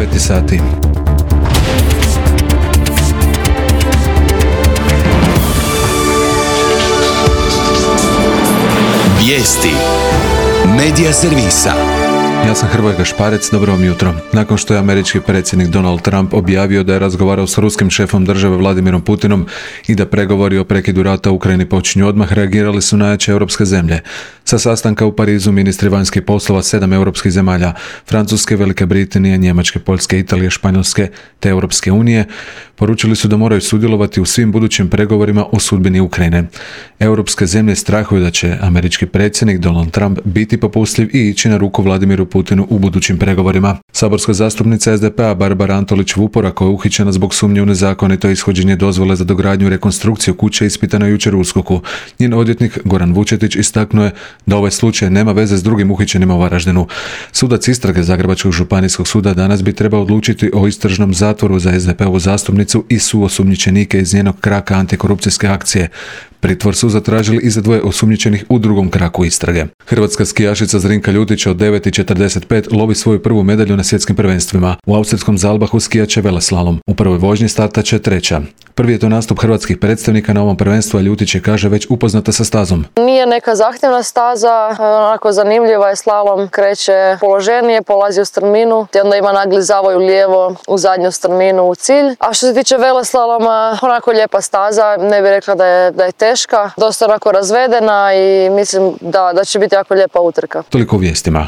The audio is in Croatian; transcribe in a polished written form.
9 sati. Vijesti Medija servisa. Ja sam Hrvoje Gašparec, dobro vam jutro. Nakon što je američki predsjednik Donald Trump objavio da je razgovarao s ruskim šefom države Vladimirom Putinom i da pregovori o prekidu rata u Ukrajini počinju odmah, reagirali su najjače europske zemlje. Sa sastanka u Parizu ministri vanjskih poslova 7 europskih zemalja, Francuske, Velike Britanije, Njemačke, Poljske, Italije, Španjolske te Europske unije, poručili su da moraju sudjelovati u svim budućim pregovorima o sudbini Ukrajine. Europske zemlje strahuju da će američki predsjednik Donald Trump biti popustljiv i ići na ruku Vladimiru Putinu u budućim pregovorima. Saborska zastupnica SDP-a Barbara Antolić-Vupora, koja je uhićena zbog sumnje u nezakonito ishođenje dozvole za dogradnju i rekonstrukciju kuće, ispitana jučer u USKOK-u. Njen odvjetnik Goran Vučetić istaknuo je da ovaj slučaj nema veze s drugim uhićenima u Varaždinu. Sudac istrage Zagrebačkog županijskog suda danas bi trebao odlučiti o istražnom zatvoru za SDP-ovu zastupnicu i suosumnjičenike iz njenog kraka antikorupcijske akcije. Pritvor su zatražili i za dvoje osumnjičenih u drugom kraku istrage. Hrvatska skijašica Zrinka Ljutić od 9,45 lovi svoju prvu medalju na svjetskim prvenstvima. U austrijskom Zalbahu skijaće veleslalom. U prvoj vožnji startaće treća. Prvi je to nastup hrvatskih predstavnika na ovom prvenstvu, a Ljutić je, kaže, već upoznata sa stazom. Nije neka zahtjevna staza, onako zanimljiva je, slalom kreće položenije, polazi u strminu, te onda ima nagli zavoj u lijevo u zadnju strminu u cilj. A što se tiče veleslaloma, onako lijepa staza, ne bih rekla da je teška, dosta onako razvedena i mislim da će biti jako lijepa utrka. Toliko u vijestima.